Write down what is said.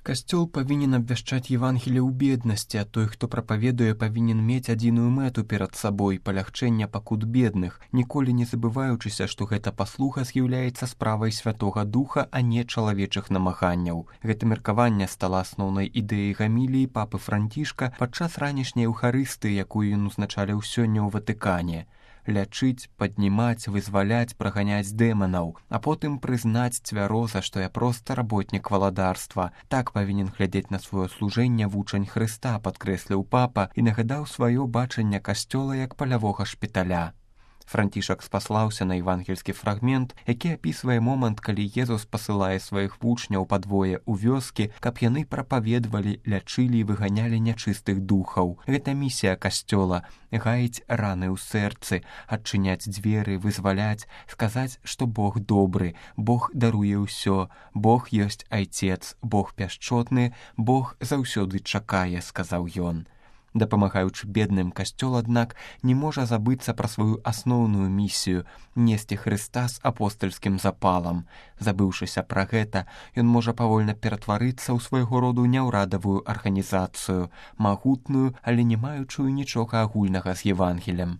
Касцёл павінен абвяшчаць Евангелле ў беднасці, а той, хто прапаведуе, павінен мець адзіную мэту перад сабой – палягчэння пакут бедных, ніколі не забываючыся, што гэта паслуга з'яўляецца справай Святога Духа, а не чалавечых намаганняў. Гэта меркаванне стала асноўнай ідэяй гаміліі папы Францішка падчас ранішняй эўхарыстыі, якую ён узначаліў сёння ў Ватыкане. Лячыць, паднімаць, вызваляць, праганяць дэманаў, а потым прызнаць цвяроза, што я проста работнік валадарства. Так павінен глядзець на сваё служэнне вучань Хрыста, падкрэсліў папа і нагадаў сваё бачанне касцёла як палявога шпіталя. Францішак спаслаўся на евангельскі фрагмент, які апісвае момант, калі Езус пасылае сваіх вучняў падвое ў вёскі, каб яны прапаведвалі, лячылі і выганялі нячыстых духаў. Гэта місія касцёла – гаіць раны ў сэрцы, адчыняць дзверы, вызваляць, сказаць, што Бог добры, Бог даруе ўсё, Бог ёсць Айцец, Бог пяшчотны, Бог заўсёды чакае, сказаў ён. Дапамагаючы бедным, касцёл, аднак, не можа забыцца пра сваю асноўную місію – несці Хрыста з апостальскім запалам. Забыўшыся пра гэта, ён можа павольна ператварыцца ў свайго роду няўрадавую арганізацыю, магутную, але не маючую нічога агульнага з Евангелем.